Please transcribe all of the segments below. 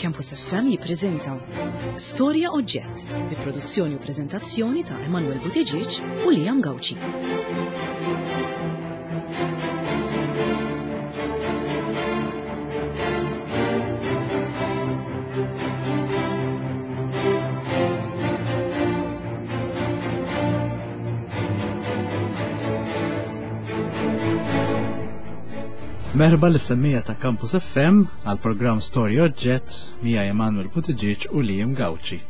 Campus FM jippreżenta Storja Oġġett bi produzzjoni u preżentazzjoni ta' Emanuel Buttigieg u Liam Gauci. Merħba lis-semmija ta' Campus FM għal programm Story Oġġett mija Emanuel Buttigieg u Liam Gauci.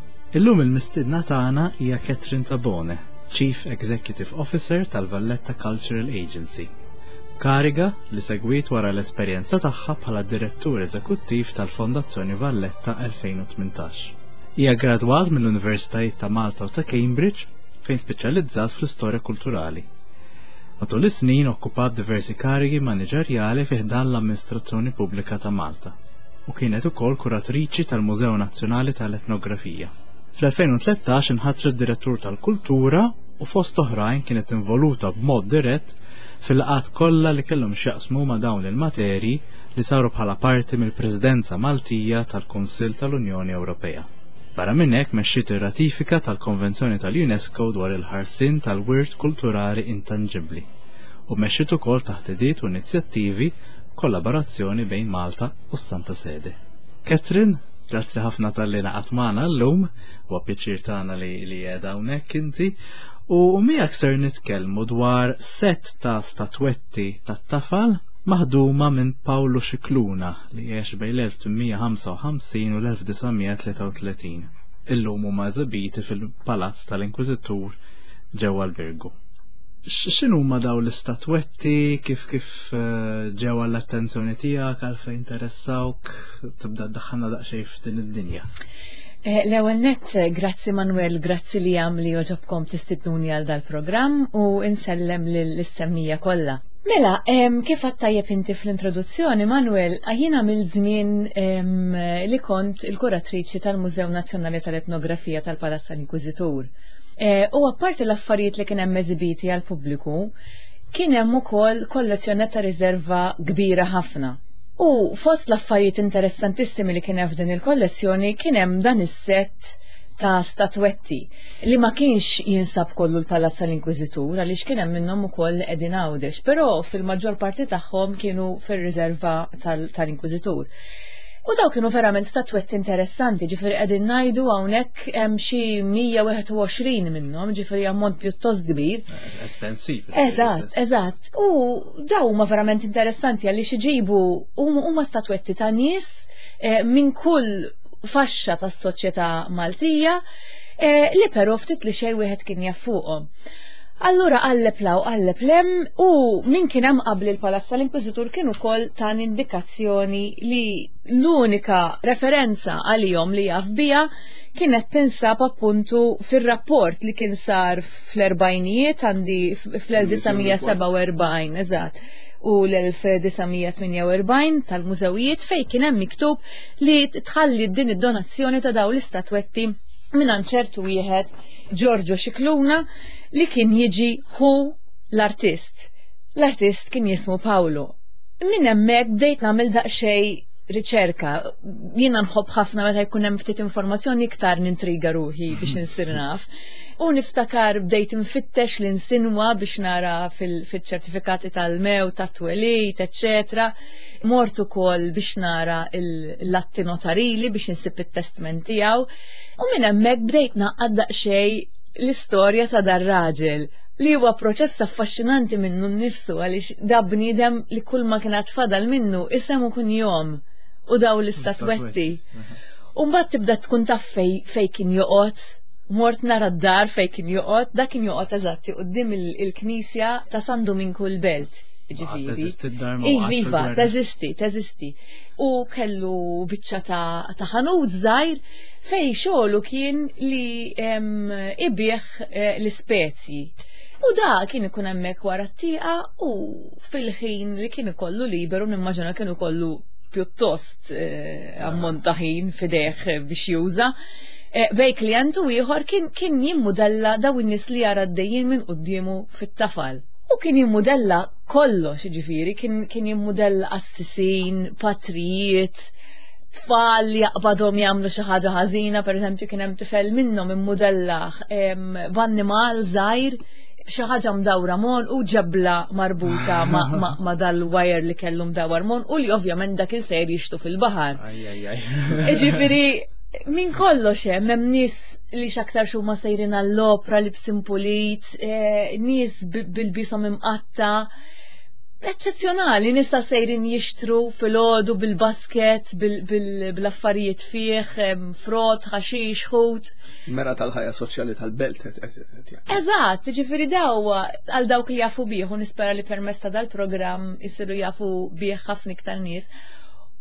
Illum il-mistidna tagħna hija Catherine Tabone, Chief Executive Officer tal-Valletta Cultural Agency. Kariga li segwit wara l-esperjenza tagħha bħala Direttur Eżekuttiv tal-Fondazzjoni Valletta 2018. Hija gradwat mill-Universitajiet ta' Malta u ta' Cambridge fejn speċjalizzat fl-istorja kulturali. Matul is-snin okkupat diversi karigi maniġerjali fi ħdan l-Amministrazzjoni Pubblika ta' Malta u kienet ukoll kuratriċi tal-Mużew Nazzjonali tal-Etnografija. Fl-2013 inħatret Direttur tal-Kultura u fost oħrajn kienet involuta b'mod dirett fil-laqgħat kollha li kellhom x'jaqsmu ma' dawn il-materji li saru bħala parti mill-Presidenza Maltija tal-Kunsill tal-Unjoni Ewropea. Barra minn hekk mexxiet ir-ratifika tal-Konvenzjoni tal-UNESCO dwar il-ħarsien tal-wirt kulturali intanġibbli u mexxiet ukoll taħdidiet u inizjattivi b'kollaborazzjoni bejn Malta u s-Santa Sede. Catherine, grazzi ħafna talli ngħaqadt magħna llum, huwa pjaċir tagħna li li qiegħda hawnhekk inti. U miegħek ser nitkellmu dwar sett ta' statwetti tat-tafal maħduma minn Pawlu Scicluna li għex bejn l-1855 u l-1933. Illum huma eżibiti fil-Palazz tal-Inkwiżitur ġewwa l-Birgu. X'inhuma daw l-istatwetti, kif kif eh, ġew għall-attenzjoni tiegħek, għalfejn interessawk, tibda ddaħħalna daqsxejn f'din id-dinja. Eh, l-ewwel nett, grazzi Manuel, grazzi li għam li oġobkom tistidnuni għal dal-programm u insellem lill-semmija kollha. Mela, kif għadt tajjeb inti fl-introduzzjoni, Manuel, jiena mill-żmien li kont il-kuratriċi tal-Mużew Nazzjonali tal-Etnografija tal-Palazz tal-Inkwiżitur. E, u apparti l-affarijiet li kien hemm eżibiti għall-pubbliku, kien hemm ukoll kollezzjoni ta' riserva kbira ħafna. U fost l-affarijiet interessantissimi li kien hemm f'din il-kollezzjoni kien hemm dan is-sett ta' statwetti li ma kienx jinsab kollu l-Palazz tal-Inkwiżitur għaliex kien hemm minnhom ukoll li qegħdin Għawdex, però fil-maġġor parti tagħhom kienu fir-riserva tal-Inkwiżitur. U daw kienu verament statwetti interessanti, ġifieri qegħdin ngħidu hawnhekk hemm xi 121 minnhom, ġifieri ammont pjuttost kbir. Estensiv. Eżatt, eżatt. U daw huma verament interessanti għaliex iġibu huma statwetti ta' nies eh, minn kull faxxa tas-soċjetà Maltija eh, li però ftit li xejn wieħed kien jaf fuqhom. Allura qalleb law qalleb lem u min kien hemm qabli l-Palazz tal-Inkwiżitur kien ukoll tan indikazzjoni li l-unika referenza għalihom li jaf biha kienet tinsab appuntu fir-rapport li kien sar fl-erbgħinijiet għandi fl-1947 eżatt u l-1948 tal-mużewijiet fejn kien hemm miktub li tħalli din id-donazzjoni ta' dawn l-istatwetti minn ċertu wieħed Giorgio Scicluna li kien jiġi hu l-artist. L-artist kien jismu Paolo. Minn hemmhekk bdejt nagħmel daqsxejn riċerka. Jiena nħobb ħafna meta jkun hemm ftit informazzjoni iktar nintriga ruħi biex insir naf. U niftakar bdejt infittex l-insinwa biex nara fil-ċertifikati tal-mew, tat-twelid, eċċetera. Mort ukoll biex nara l-atti notarili biex insib it-testment tiegħu. U minn hemmhekk bdejt naqqad daqsxejn l-istorja ta' dar-raġel li huwa proċess affaxxinanti minnu nnifsu għaliex da bniedem li kull ma kien fadal minnu isem u kunjom u daw l-istatwetti. U mbagħad tibda tkun taf fej, fej kien joqgħod, mort nara d-dar fej kien joqgħod, da kien joqgħod eżatti quddiem il-knisja ta' San Duminku l-Belt. Ġifieri. Iva, teżisti, teżisti. U kellu biċċa ta' ħanut żgħir fej xogħlu kien li ibigħ eh, l-ispezji. U da kien ikun hemmhekk wara t-tieqa u fil-ħin li kien ikollu liberu nimmaġina kien ikollu pjuttost eh, ammont ta' ħin fideh biex juża. Eh, bej klient u ieħor kien kien jimmudella daw in-nies li jara għaddejjin minn quddiemu fit-tafal. U kien jimmudella kollox, ġifieri, kien, kien jimmudella qassisin, patrijiet, Tfal li jaqbadhom jagħmlu xi ħaġa ħażina, pereżempju kien hemm tifel minnhom immudellaħ b'annimal żgħir xi ħaġa mdawra mon u ġebla marbuta ma' dal-wire li kellu mdawar mon u li ovvjament dak il-sejr jixtu fil-baħar. Ġifieri minn kollox hemm hemm nies li x'aktar huma sejrin għall-opra li b'simpulit, eh, nies bil-bisom imqatta' eċċezzjonali, nisa sejrin jixtru fil-ħodu bil-basket, bil-affarijiet fih, frott, ħaxix, ħut. Mera tal-ħajja soċjali tal-belt. Eżatt, ġifiri daw għal dawk li jafu bih u nispera li permezz ta' dal-programm jisiru jafu bih ħafna iktar nies.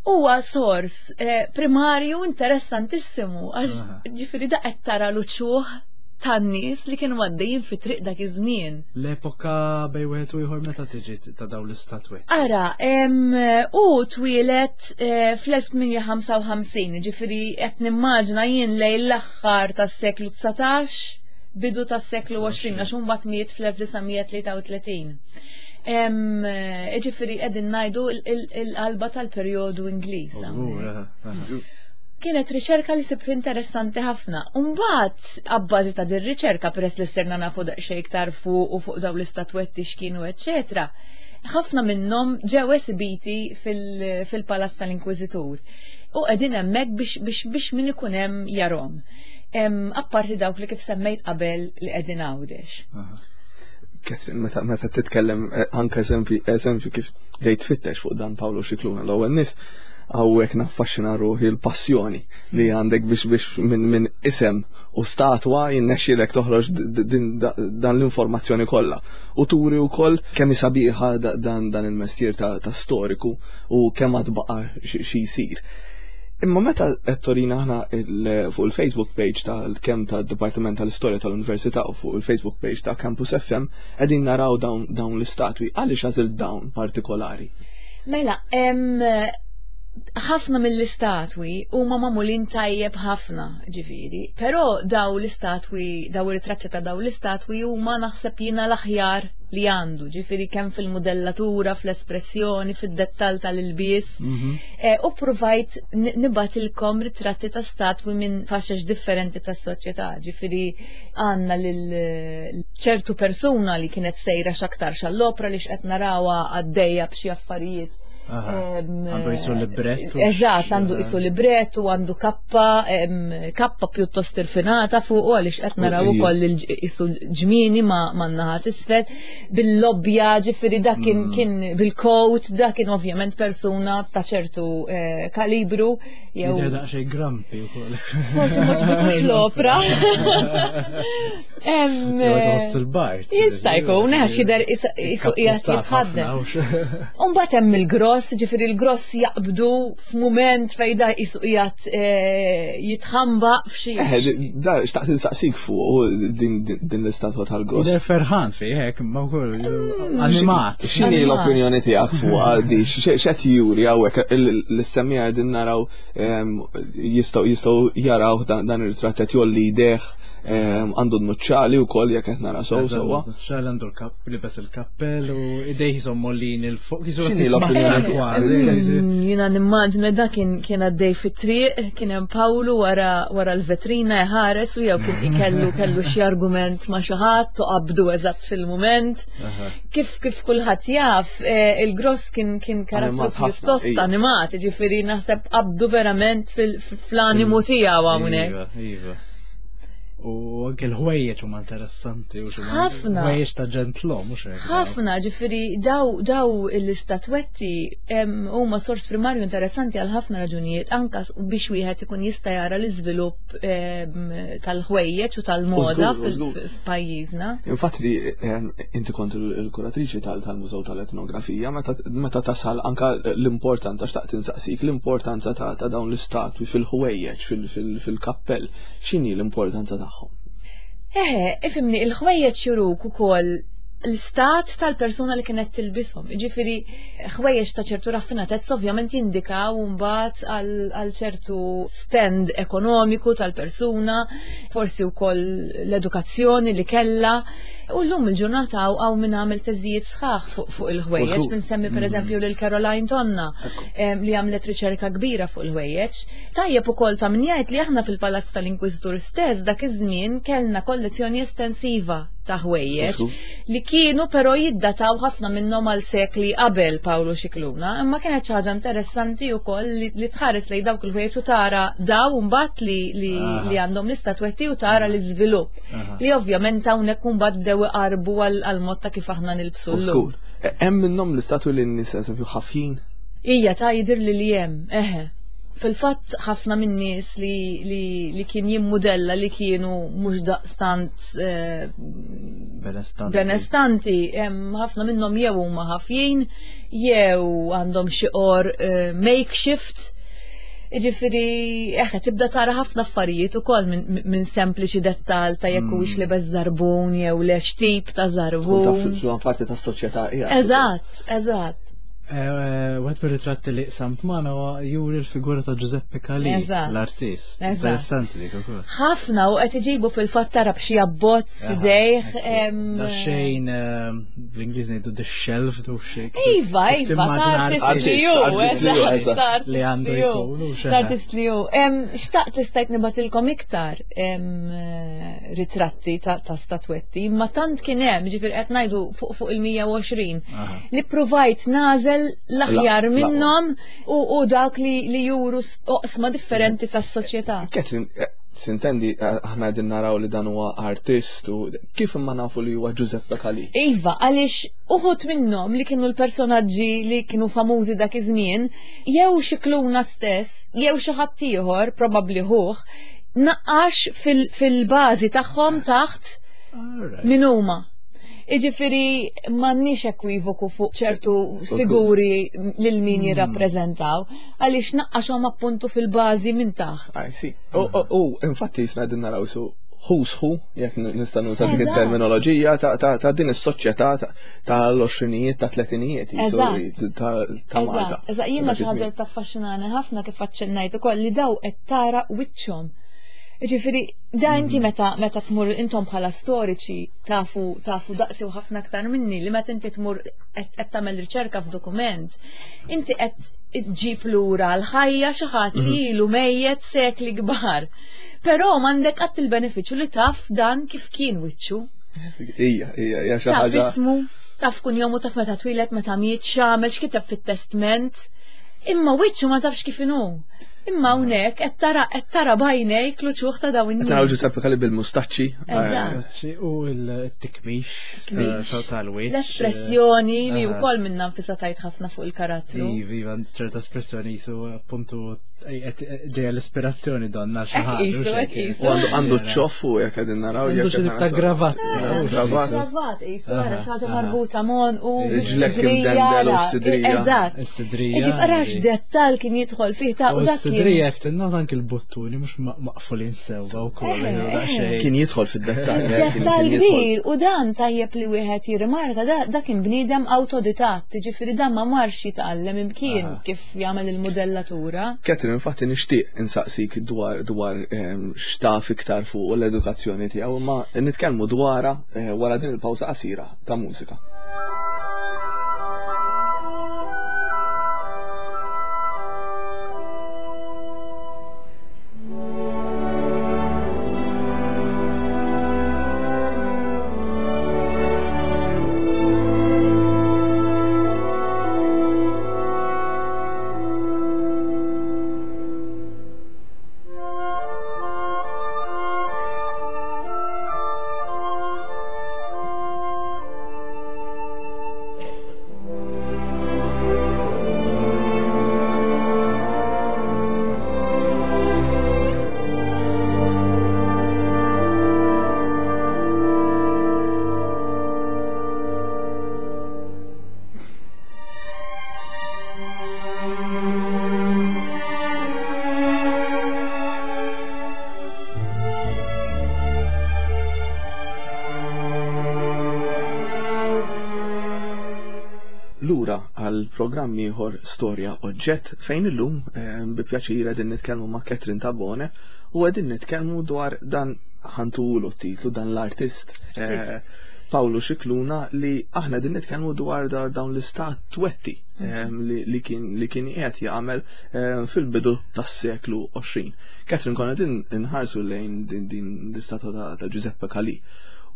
Huwa sors eh, primarju interessantissimu għax ġifiri da qed tara l-uċuħ tan-nies li kienu għaddejjin fi triq dak iż-żmien. L-epoka bej wieħed u ieħor meta tiġi ta' dawn l-istatwetti? Ara, u twieled eh, fl-1855, ġifieri qed nimmaġina jien lejn l-aħħar tas-seklu 19, bidu tas-seklu 20, għax imbagħad miet fl-1933. Ġifieri qegħdin ngħidu l-qalba tal-perjodu Ingliż. Kienet riċerka li sibt interessanti ħafna. Umbagħad, abbażi ta' din riċerka, peress li sirna nafu daqsxejn iktar fuq u fuq dawn l-istatwetti x'kienu, eċċetera, ħafna minnhom ġew esibiti fil-Palazz tal-Inkwiżitur u qegħdin hemmhekk biex biex biex min ikun hemm jarhom. Apparti dawk li kif semmejt qabel li qegħdin Għawdex. Catherine, meta meta titkellem eh, anke eżempju eżempju kif dejt tfittex fuq dan Paolo Scicluna l-ewwel nies hawnhekk naffaxxina ruħi l-passjoni li għandek biex biex minn min isem u statwa jinnexxielek toħroġ dan l-informazzjoni kollha. U turi wkoll kemm sabiħa dan dan il-mestier ta', ta storiku u kemm għad baqa' xi jsir. Imma meta qed torina aħna fuq il-Facebook page tal-kemm tad-Dipartiment tal-Istorja tal-Università u fuq il-Facebook page ta' Campus FM qegħdin naraw dawn dawn l-istatwi għaliex għażilt dawn partikolari? Mela, ħafna mill-istatwi huma magħmulin tajjeb ħafna, ġifieri, però daw l-istatwi, daw ir-ritratti ta' daw l-istatwi huma naħseb jiena l-aħjar li għandu, ġifieri kemm fil-mudellatura, fl-espressjoni, fid-dettall tal-ilbies. Mhm. Eh, u provajt nibatilkom ritratti ta' statwi minn faxex differenti tas soċjetà ġifieri għandna lil ċertu persuna li kienet sejra x'aktar xall-opra li x'qed narawha għaddejja b'xi affarijiet. Għandu jisu librettu. Eżatt, għandu jisu librettu, għandu kappa, kappa pjuttost irfinata fuq għaliex qed naraw ukoll jisu ġmieni ma' naħa t'isfel, bil-lobbja, ġifieri dak kien mm. kien bil-coat, dak kien ovvjament persuna ta' ċertu eh, kalibru Jew. Jidher daqsxejn grampi wkoll. Forsi mhux bitux l-opra. Tħoss il-bart. Jista' jkun, għax jidher isu qiegħed jitħaddem. Umbagħad hemm il-gross, ġifieri il-gross jaqbdu f'mument fejn da isu qiegħed eh, jitħamba f'xi. Eh, da xtaqt insaqsik fuq din l-istatwa tal-gross. Jidher ferħan fih hekk, ma wkoll mm. animat. X'inhi l-opinjoni tiegħek fuq di x'qed juri hawnhekk l-semmija qegħdin naraw jistgħu jistgħu jaraw dan ir-ritratt qed jolli jdejh għandu n-nuċċali wkoll jekk qed nara sew sewwa. Nuċċali għandu l-kapp libes il-kappell u idejh jisom mollin il fuq. X'inhi l-opinjoni kważi? Mm, jiena nimmaġina da kien kien għaddej fit-triq, kien hemm Pawlu wara wara l-vetrina jħares u jew kien ikellu kellu xi argument ma' xi ħadd u qabdu eżatt fil-mument. Kif kif kulħadd jaf, eh, il-gross kien kien karattru pjuttost animat, ġifieri naħseb qabdu verament fl-animu tiegħu hawnhekk. Iva, iva. U anke l-ħwejjeġ huma interessanti u xi Ħafna. Ħwejjeġ ta' ġentlom mhux hekk. Ħafna, ġifieri daw daw l-istatwetti huma sors primarju interessanti għal ħafna raġunijiet anka biex wieħed ikun jista' jara l-iżvilupp tal-ħwejjeġ u tal-moda f'pajjiżna. Infatti li inti kont il-kuratriċi tal-Mużew tal-Etnografija, meta tasal anka l-importanza, xtaqt insaqsik, l-importanza ta' dawn l-istatwi fil-ħwejjeġ, fil-kappell, x'inhi l-importanza tagħhom? Eħe, ifimni, il-ħwejjeġ juruk ukoll l-istat tal-persuna li kienet tilbishom. Ġifieri ħwejjeġ ta' ċertu raffinatezza ovvjament jindikaw mbagħad għal ċertu stand ekonomiku tal-persuna, forsi wkoll l-edukazzjoni li kellha. U llum il-ġurnata hawn min għamel teżijiet sħaħ fuq il-ħwejjeġ, min semmi per eżempju lil Caroline Tonna li għamlet riċerka kbira fuq il-ħwejjeġ. Tajjeb ukoll ta' min jgħid li aħna fil-Palazz tal-Inkwiżitur stess dak iż-żmien kellna kollezzjoni estensiva ta' ħwejjeġ li kienu però jiddataw ħafna minnhom għal sekli qabel Pawlu Scicluna, imma kienet xi ħaġa interessanti wkoll li tħares lejn dawk il-ħwejjeġ u tara daw mbagħad li, li, li għandhom l-istatwetti u tara l-iżvilupp li ovvjament hawnhekk imbagħad bdew iqarbu għal mod ta' kif aħna nilbsu llum. E, hemm minnhom l-istatwi li n-nies eżempju ħafjin? Ija ta' jidher li li hemm, eħe. Fil-fatt ħafna minn nies li, li, li kien jimmudella li kienu mhux daqstant eh, benestanti, ħafna minnhom jew huma ħafjin, jew għandhom xi or eh, makeshift. Ġifieri, eħe, tibda tara ħafna affarijiet ukoll minn min sempliċi dettal ta' jekk huwiex mm. libes żarbun jew le x'tip ta' żarbun. Taf parti tas-soċjetà Eżatt, eżatt. Eh, wieħed mir-ritratti li qsamt magħna huwa juri l-figura ta' Giuseppe Calì, l-artist. Interessanti dik ukoll. Ħafna u qed iġibu fil-fatt tara b'xi abbozz f'idejh. Da xejn bl-Ingliż ngħidu the shelf u xejn. Iva, iva, ta' artist li hu, li għandu jkun. Ta' artist li hu. Xtaqt li stajt nibatilkom iktar ritratti ta' statwetti, ma tant kien hemm, ġifier qed ngħidu fuq il-120. Li provajt nażel l-aħjar minnhom u dak li, li juru oqsma differenti tas-soċjetà. Catherine, eh, sintendi eh, aħna qegħdin naraw li dan huwa artist u kif imma nafu li huwa Giuseppe Calì? Iva, għaliex uħut minnhom li kienu l-personaġġi li kienu famużi dak iż-żmien, jew xi kluna stess, jew xi ħadd ieħor, probabbli ħuh, naqqax fil-bażi tagħhom taħt min huma. Iġifiri m'għandniex ekwivoku fuq ċertu figuri lil min hmm. jirrappreżentaw, għaliex naqqaxhom appuntu fil-bażi minn taħt. I see. U infatti jisna din naraw su who's who, jekk nista' nuża din it-terminoloġija ta' din is-soċjetà tal-għoxrinijiet, ta' tletinijiet ta' Malta. Eżatt, jiena xi ħaġa taffaxxinani ħafna kif aċċennajt ukoll li daw qed tara wiċċhom. Ġifieri, da inti mm. meta meta tmur intom bħala storiċi tafu tafu daqsi u ħafna aktar minni li meta inti tmur qed tagħmel riċerka f'dokument, inti qed ġib lura l-ħajja xi ħadd li mhm. ilu mejjet sekli kbar. Però m'għandek qatt il-benefiċċju li taf dan kif kien wiċċu. Ija, ija, ija xi ħaġa. Taf ismu, taf kun jomu, taf meta twilet, meta miet, x'għamel, x'kiteb fit-testment. Imma wiċċu ma tafx kif inhu. Imma hawnhekk qed tara qed tara b'għajnejk l-uċuħ ta' dawn in-nies. Taraw Giuseppe Calì bil-mustaċċi. Eżatt. U l-tikmix eh, tal-wiċċ. L-espressjoni li wkoll minnha nfisha tajt ħafna fuq il-karattru. Iva, iva, ċerta espressjoni jisu appuntu ġeja l-ispirazzjoni donna xi ħaġa. U għandu ċoff u jekk qegħdin naraw. Għandu xi ta' gravat. Gravat. Gravat, jisu għara xi ħaġa marbuta mon u. Ġlek imdendel u sidrija. Eżatt. Is-sidrija. Ġif arax dettal kien jidħol fih ta' u dak. Is-sidrija jekk tinnota anki l-buttuni mhux maqfulin sewwa wkoll. Kien jidħol fid-dettall. Dettal kbir u dan tajjeb li wieħed jirrimarka da kien bniedem awtodidatt, ġifieri dan ma marx jitgħallem imkien kif jagħmel il-mudellatura. Catherine, infatti nixtieq insaqsik dwar dwar ehm, x'taf iktar fuq l-edukazzjoni tiegħu, imma nitkellmu dwarha eh, wara din il-pawża qasira ta' mużika. Lura għal programm ieħor Storja Oġġett fejn illum eh, bi pjaċir qegħdin nitkellmu ma' Catherine Tabone u qegħdin nitkellmu dwar dan ħantulu t-titlu dan l-artist eh, Pawlu Xikluna li aħna din nitkellmu dwar dawn l-istatwetti li kien li kien qiegħed jagħmel fil-bidu tas-seklu 20. Catherine konna din inħarsu lejn din din l-istatwa ta' Giuseppe Calì.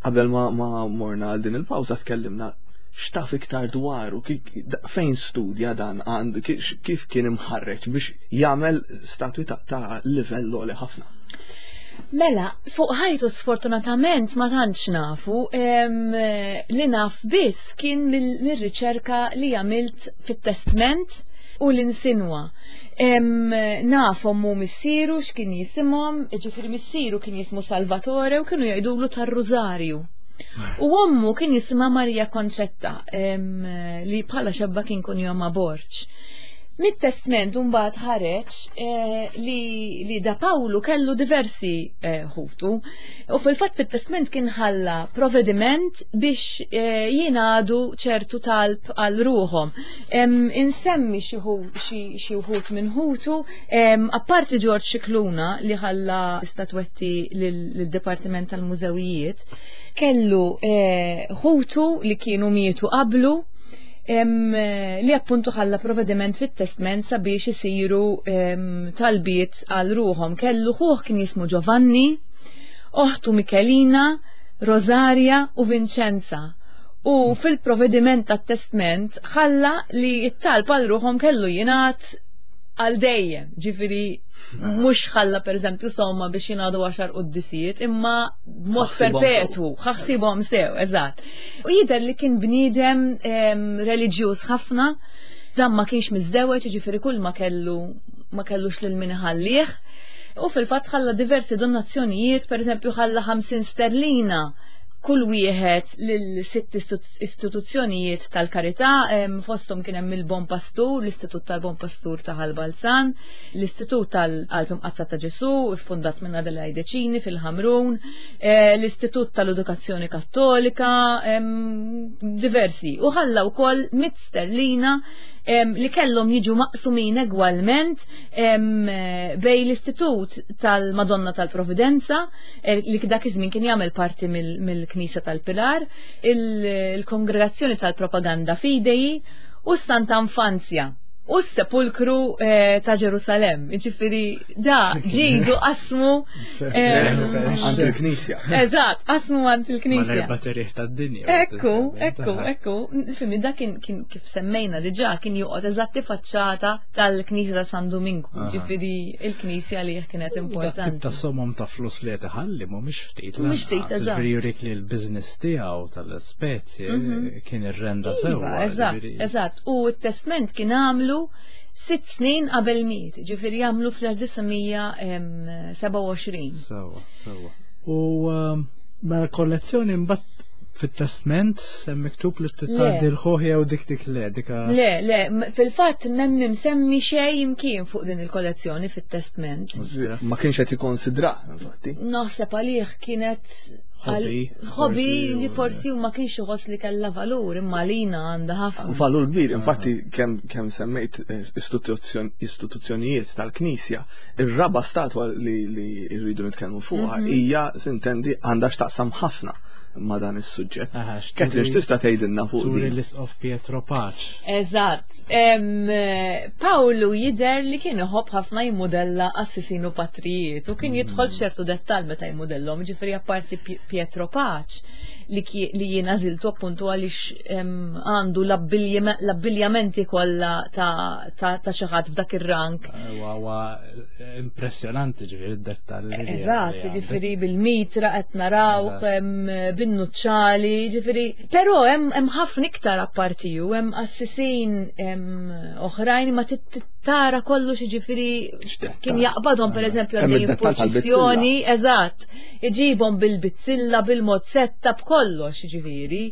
Qabel ma, ma morna għal din il-pawża tkellimna x'taf iktar dwaru, fejn studja dan għandu, kif kien imħarreġ biex jagħmel statwi ta', ta livell għoli ħafna. Mela, fuq ħajtu sfortunatament ma tantx nafu, li naf biss kien mir-riċerka li għamilt fit-testment u l-insinwa. Naf ommu missieru x'kien jisimhom, ġifieri missieru kien jismu Salvatore u kienu jgħidulu tar-Rużarju. U ommu kien jisimha Maria Concetta li bħala xebba kien kun jomma Borġ. Mit-testment mbagħad ħareġ eh, li, li da Pawlu kellu diversi eh, ħutu u fil-fatt fit-testment kien ħalla provediment biex eh, jingħadu ċertu talb għal ruħhom. Insemmi xi wħud minn ħutu, apparti Ġorġ Xikluna li ħalla statwetti lill-Dipartiment tal-Mużewijiet, kellu ħutu li kienu mietu qablu li appuntu ħalla provvediment fit-testment sabiex isiru talbiet għal ruħom. Kellu ħuħ kien jismu Giovanni, oħtu Michelina, Rosaria u Vincenza. U fil-provvediment tat-testment ħalla li t-talb għal ruħom kellu jingħad għal dejjem, ġifiri mhux ħalla pereżempju somma biex jingħadu għaxar quddisijiet, imma b'mod perpetwu, ħassibhom sew, eżatt. U jidher li kien bniedem reliġjuż ħafna, dan ma kienx miżżewweġ, ġifieri kull ma kellu ma kellux lil min iħallih. U fil-fatt ħalla diversi donazzjonijiet, pereżempju ħalla 50 sterlina kull wieħed lil sitt istituzzjonijiet tal-karità, fosthom kien hemm il-Bon Pastur, l-Istitut tal-Bon Pastur ta' Ħal Balzan, l-Istitut tal-Qalb Imqaddsa ta' Ġesù, iffundat minn Adelaide Cini fil-Ħamrun, eh, l-Istitut tal-Edukazzjoni Kattolika, diversi. U ħalla wkoll mit sterlina li kellhom jiġu maqsumin egwalment bej l-Istitut tal-Madonna tal-Providenza, eh, li dak iż-żmien kien jagħmel parti mill-Knisja tal-Pilar, il-Kongregazzjoni tal-Propaganda Fidei u s-Santa Infanzja u s-sepulkru eh, ta' Ġerusalem. Ġifieri da ġidu qasmu eh, għand il-Knisja. Eżatt, qasmu għand il-Knisja. Mal-erba' terieħ tad-dinja. Ekku, ekku, ekku. Fimni da kien kif semmejna diġà kien joqgħod eżatti faċċata tal-Knisja ta' San Duminku, ġifieri il-Knisja li kienet importanti. Tip ta' somom ta' flus li qed iħalli mhumiex ftit. Mhux ftit, eżatt. Ġifieri jurik li l-business tiegħu tal-spezie mhm. kien irrenda iva, sewwa. Eżatt, eżatt. U t-testment kien għamlu sitt snin qabel miet, ġifieri għamlu fl-1927. Sewwa, sewwa. U ehm, mela kollezzjoni mbagħad fit-testment hemm miktub li titgħaddi l-ħuħ jew dik dik le dika. Le, le, fil-fatt m'hemm imsemmi xejn imkien fuq din il-kollezzjoni fit-testment. Ma kienx qed jikkonsidra, infatti. Naħseb għalih kienet Hobby li forsi ma kienx iħoss li kellha valur imma lina għandha ħafna. Valur kbir, infatti kemm kemm semmejt eh, istituzzjonijiet tal-Knisja, ir-raba statwa li rridu nitkellmu fuqha mhm. hija sintendi għandha x'taqsam ħafna ma' dan is-suġġett. Ketri, x'tista' tgħidilna fuq din? l-Isqof Pietro Paċ. Eżatt. Pawlu jidher li kien iħobb ħafna jimmudella assisinu patrijiet u kien jidħol mm. f'ċertu dettall meta jimmudellhom, ġifieri apparti Pietro Paċ li, li jiena żiltu appuntu għaliex għandu l-abbiljamenti kollha ta', ta, ta xi ħadd f'dak ir-rank. Huwa impressjonanti ġifieri d-dettall. Eżatt, ġifieri bil-mitra qed narawh bin-nuċċali, ġifieri. Però hemm ħafna iktar apparti ju, hemm assisin oħrajn ma tara kollox ġifieri kien jaqbadhom pereżempju għaddejjin f'purċissjoni, eżatt, iġibhom bil-bizzilla, bil-mozzetta, b'kollox ġifieri.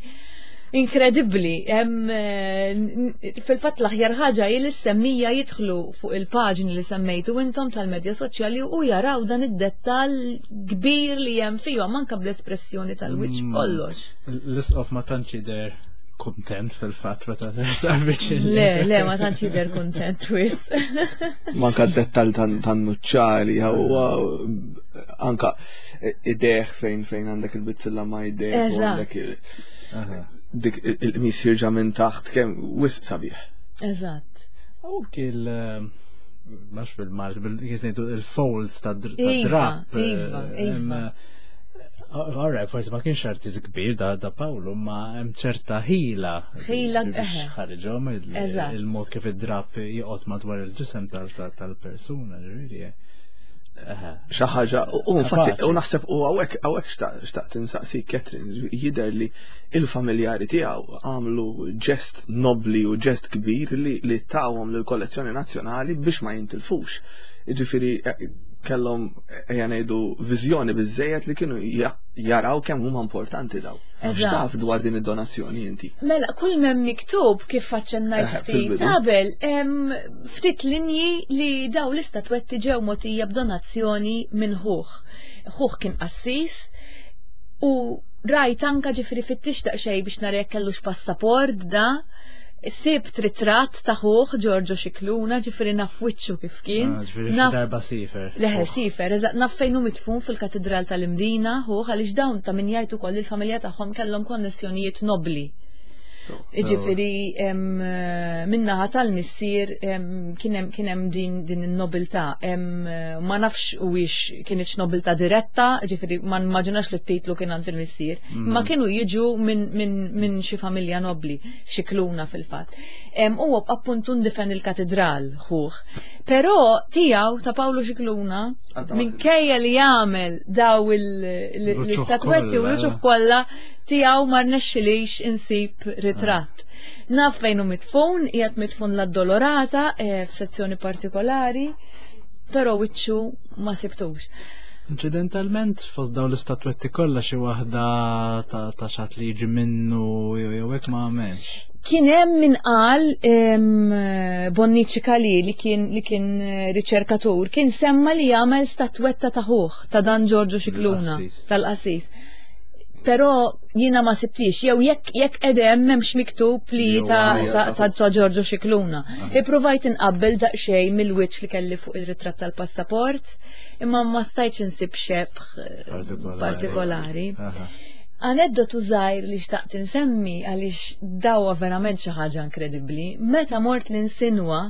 Inkredibbli, eh, fil-fatt l-aħjar ħaġa hi li semmija jidħlu fuq il-paġni li semmejtu intom tal-medja soċjali u jaraw dan id-dettall kbir li hemm fihom anke bl-espressjoni tal-wiċċ mm. kollox. L-isqof ma tantx jidher kontent fil-fatt meta tersaq viċin. Le, le, ma tantx jidher kontent wis. Manka d-dettal tan-nuċċali, huwa anka ideħ fejn fejn għandek il-bizzilla ma ideħ. Eżatt. Dik il-qmis ħirġa minn taħt kemm wisq sabiħ. Eżatt. U il max bil-Malt, bil-ngħidu il-folds ta' iva, drap. Iva, eh, iva. Alright, forsi ma kienx artist kbir da, da Paolo, ma hemm ċerta ħila. Ħila, biex ħariġhom il-mod kif id-drap joqgħod madwar il-ġisem tal-persuna, ġifieri. Xi ħaġa, u infatti, u naħseb u hawnhekk hawnhekk xtaqt insaqsi Catherine, jidher li il-familjari tiegħu għamlu ġest nobli u ġest kbir li, li tawhom lill-kollezzjoni nazzjonali biex ma jintilfux. Jiġifieri eh, kellhom ejja ngħidu viżjoni biżejjed li kienu jaraw kemm huma importanti daw. X'taf dwar din id-donazzjoni inti? Mela, kull m'hemm miktub kif aċċennajt eh, ftit qabel, ftit linji li daw l-istatwetti ġew mogħtija b'donazzjoni minn ħuh. Ħuh kien qassis u rajt anka ġifri fittix daqsxejn biex nara jekk kellux passaport da sibt ritratt ta' ħuh Giorgio Xikluna, ġifiri naf wiċċu kif kien. Ah, ġifiri naf darba sifer. Leħe sifer, eżatt naf fejn hu mitfun fil-Katidral tal-Imdina, ħuh għaliex dawn ta' min jgħid ukoll il-familja tagħhom kellhom konnessjonijiet nobli. Iġifiri, minnaħa tal-missier kien hemm din din in-nobiltà. Ma nafx huwiex kienx nobiltà diretta, ġifiri ma nimmaġinax li t-titlu kien għand il-missier, ma kienu jiġu minn xi familja nobli, xi kluna fil-fatt. U appuntu ndifen il-katedral ħuh. Però tiegħu ta' Pawlu Xikluna minkejja li jagħmel daw l-istatwetti u l-uċuħ kollha tiegħu ma rnexxilix insib ritratt. Naf fejn hu mitfun, qiegħed mitfun l-Addolorata eh, f'sezzjoni partikolari, però wiċċu ma sibtux. Incidentalment, fost daw l-istatwetti kollha xi waħda ta' xat li jiġi minnu jew hekk ma għamilx. Kien hemm min qal Bonnici Kali li kien li kien eh, riċerkatur, kien semma li jagħmel statwetta ta' ħuh ta' dan Giorgio Xikluna tal-qassis. Però jiena ma sibtix, jew jekk jekk edem m'hemmx miktub li ta' ta' ta' Giorgio Xikluna. Ippruvajt inqabbel daqsxejn mill-wiċċ li kelli fuq ir-ritratt tal-passaport, imma ma stajtx insib xebħ eh, partikolari. Aneddotu żgħir li xtaqt insemmi għaliex dawa verament xi ħaġa inkredibbli, meta mort l-insinwa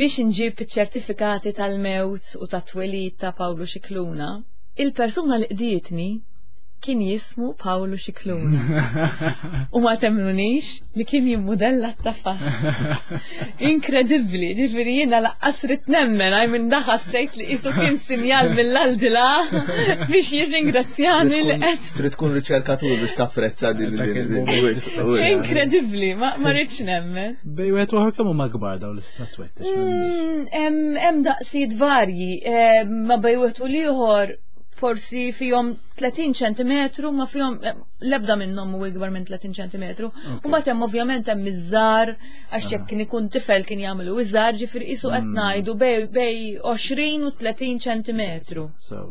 biex inġib iċ-ċertifikati tal-mewt u tat-twelid ta' Pawlu Xikluna, il-persuna li qdietni kien jismu Pawlu Xikluna. U ma temnunix li kien jimmudella t-taffa. Inkredibbli, ġifieri jiena laqqas rid nemmen għaj minn da ħassejt li qisu kien sinjal mill-aldila biex jirringrazzjani li qed. Trid tkun riċerkatur biex tapprezza din Inkredibbli, ma rridx nemmen. Bej wieħed uħor kemm huma kbar dawn l-istatwetti? Mm, hemm daqsijiet varji, eh, ma bej wieħed u l-ieħor forsi fihom 30 ċentimetru ma fihom eh, l-ebda minnhom hu ikbar minn 30 ċentimetru. U mbagħad hemm ovvjament hemm iż-żar għax jekk kien ikun tifel kien jagħmlu iż-żar ġifieri qisu qed ngħidu bej 20 u 30 ċentimetru. So,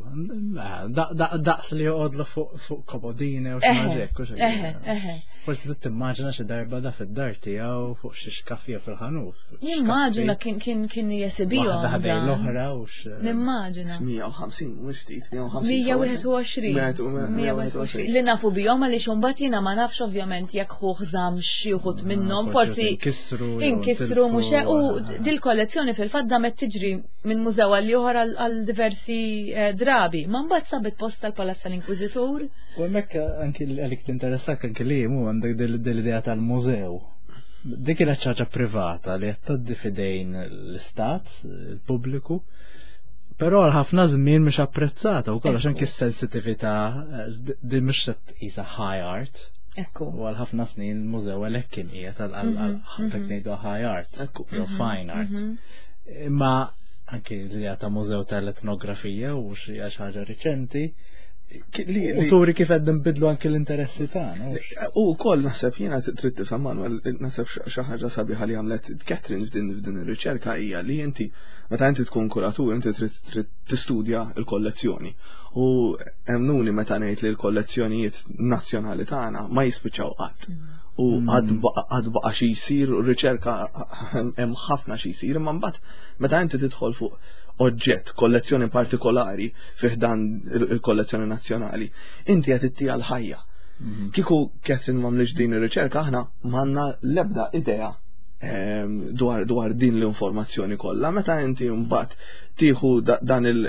daqs li joqgħodlu fuq komodine u xi ħaġa hekk. Forsi trid timmaġina xi darba da fid-dar tiegħu fuq xi xkafija fil-ħanut. Nimmaġina kien kien kien jesibihom. Waħda ħdejn l-oħra u x. Nimmaġina. 150, mhux ftit, 150. 121. 121. Li nafu bihom għaliex imbagħad jiena ma nafx ovvjament jekk ħuh żamm xi wħud ah, minnhom, forsi inkisru. Inkisru mhux u dil-kollezzjoni fil-fatt damet tiġri minn mużew għal ieħor għal diversi eh, drabi. Ma mbagħad sabet post tal-Palazz tal-Inkwiżitur. U hemmhekk anki għalik tinteressak anki li mu għandek dil-idea tal-mużew. Dik kienet ħaġa privata li qed tgħaddi fidejn l-istat, il-pubbliku, però għal ħafna żmien mhux apprezzata u kollox anki s-sensitività eh, din mhux se tqisha high art. Ekku. U għal ħafna snin il-mużew għalhekk kien qiegħed għal mhm, mhm. ngħidu high art, jew mhm, fine art. Imma anki l-idea ta' mużew tal-etnografija u xi ħaġa riċenti, U turi kif qed nbidlu anki l-interessi tagħna. U wkoll naħseb jiena trid tifhem Manuel, naħseb xi ħaġa sabiħa li għamlet Catherine f'din f'din ir-riċerka hija li inti meta inti tkun kuratur inti trid tistudja l-kollezzjoni. U emnuni meta ngħid li l-kollezzjonijiet nazzjonali tagħna ma jispiċċaw qatt. Mm. U mm. għad baqa xi jsir u riċerka hemm ħafna xi jsir, imma mbagħad meta inti tidħol fuq oġġett, kollezzjoni partikolari fi ħdan il-kollezzjoni nazzjonali, inti qed ittija l-ħajja. Kieku Catherine m'għamlitx din ir-riċerka aħna m'għandna l-ebda idea dwar, dwar din l-informazzjoni kollha. Meta inti mbagħad tieħu dan il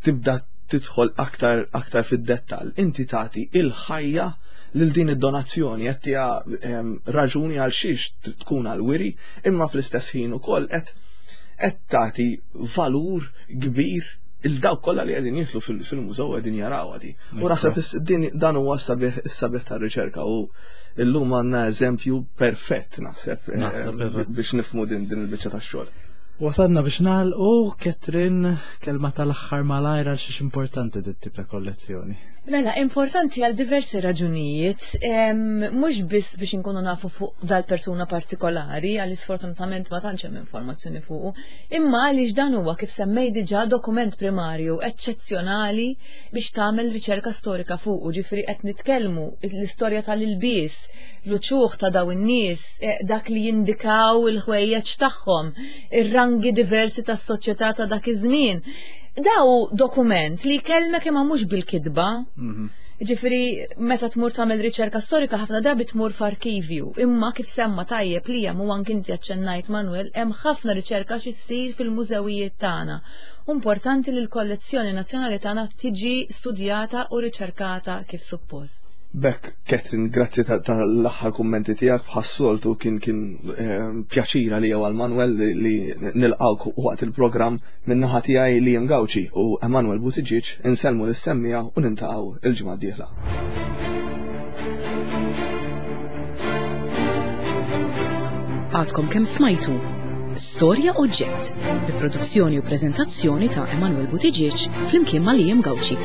tibda tidħol aktar aktar fid-dettall, inti tagħti il-ħajja lil din id-donazzjoni qed tiha raġuni għal xiex tkun għal wiri, imma fl-istess ħin ukoll qed qed tagħti valur kbir il-dawk kollha li qegħdin jidħlu fil-mużew qegħdin jaraw għadi. U naħseb din dan huwa s-sabiħ tar-riċerka u illum għandna eżempju perfett naħseb eh, biex nifmu din din il-biċċa tax-xogħol. Wasadna biex nagħlqu Catherine kelma tal-aħħar malajr għal xiex importanti dit tip ta' kollezzjoni. Mela, importanti għal diversi raġunijiet, mhux biss biex inkunu nafu fuq dal-persuna partikolari, għal sfortunatament ma tantx hemm informazzjoni fuqu, imma għaliex dan huwa kif semmej diġà dokument primarju eċċezzjonali biex tagħmel riċerka storika fuqu, ġifieri qed nitkellmu l-istorja tal-ilbies, l-uċuħ ta' daw in-nies, eh, dak li jindikaw il-ħwejjeġ tagħhom, ir-rangi diversi tas-soċjetà ta' dak iż-żmien. Daw dokument li jkellmek imma mhux bil-kitba. Mhm. Ġifieri meta tmur tagħmel riċerka storika ħafna drabi tmur f'arkivju, imma kif semma tajjeb li hemm u anki inti aċċennajt Manuel, hemm ħafna riċerka x'issir fil-mużewijiet tagħna. Importanti li l-kollezzjoni nazzjonali tagħna tiġi studjata u riċerkata kif suppost. B'hekk, Catherine, grazzi tal-aħħar kummenti tiegħek bħas-soltu kien kien eh, pjaċir għalija għal Manuel li nilqgħuk waqt il-programm min-naħa tiegħi Liam Gauci u Emanuel Buttigieg insellmu lis-semmiegħa u nintaqgħu il-ġimgħa d-dieħla. Għadkom kemm smajtu Storja Oġġett bi produzzjoni u preżentazzjoni ta' Emanuel Buttigieg flimkien ma' Liam Gauci.